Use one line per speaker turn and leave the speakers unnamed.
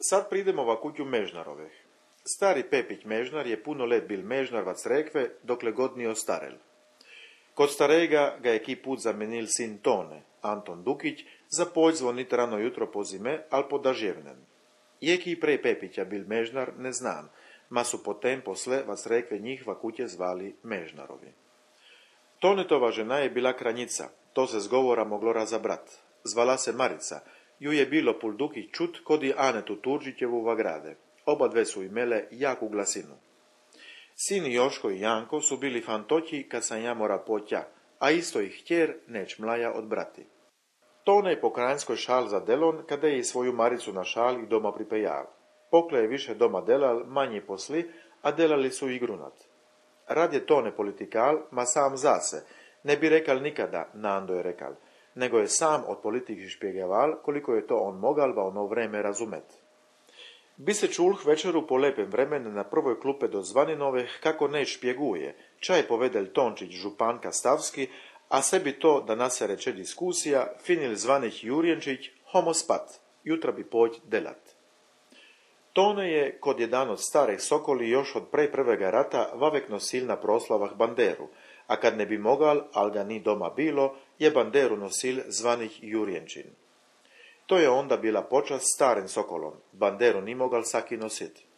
Sad pridemo va kuću Mežnaroveh. Stari Pepić Mežnar je puno let bil Mežnar vac rekve, dokle god nije ostarel. Kod starega ga je ki put zamenil sin Tone, Anton Dukić, za poć zvonit rano jutro po zime, al po daževnem. Je ki prej Pepića bil Mežnar, ne znam, ma su potem posle vac rekve njih va kuće zvali Mežnarovi. Tonetova žena je bila Kranjica, to se zgovora moglo razabrat. Zvala se Marica, ju je bilo pul Dukić čut kod i Anetu Turžićevu va grade. Oba dve su imele jaku glasinu. Sini Joško i Janko su bili fantoći kad sam ja mora poća, a isto ih htjer neć mlaja od brati. Tone je po kranjskoj šal za delon, kada je i svoju Maricu na šal i doma pripejal. Pokle je više doma delal, manji posli, a delali su i grunat. Rad je Tone politikal, ma sam zase, ne bi rekal nikada, Nando je rekal, nego je sam od politiki špjegeval, koliko je to on mogal va ono vreme razumet. Bi se čulh večeru po lepem vremenu na prvoj klupe do Zvaninove kako ne špjeguje, čaj povedelj Tončić županka Stavski, a sebi to da nase reče diskusija, finil Zvanić Jurjenčić, homo spat, jutra bi poć delat. Tone je, kod jedan od starih sokoli još od prej prvega rata, vavek nosil na proslavah banderu, a kad ne bi mogal, al ga ni doma bilo, je banderu nosil Zvanić Jurjenčin. To je onda bila počast staren sokolom, banderu ni mogal saki nosit.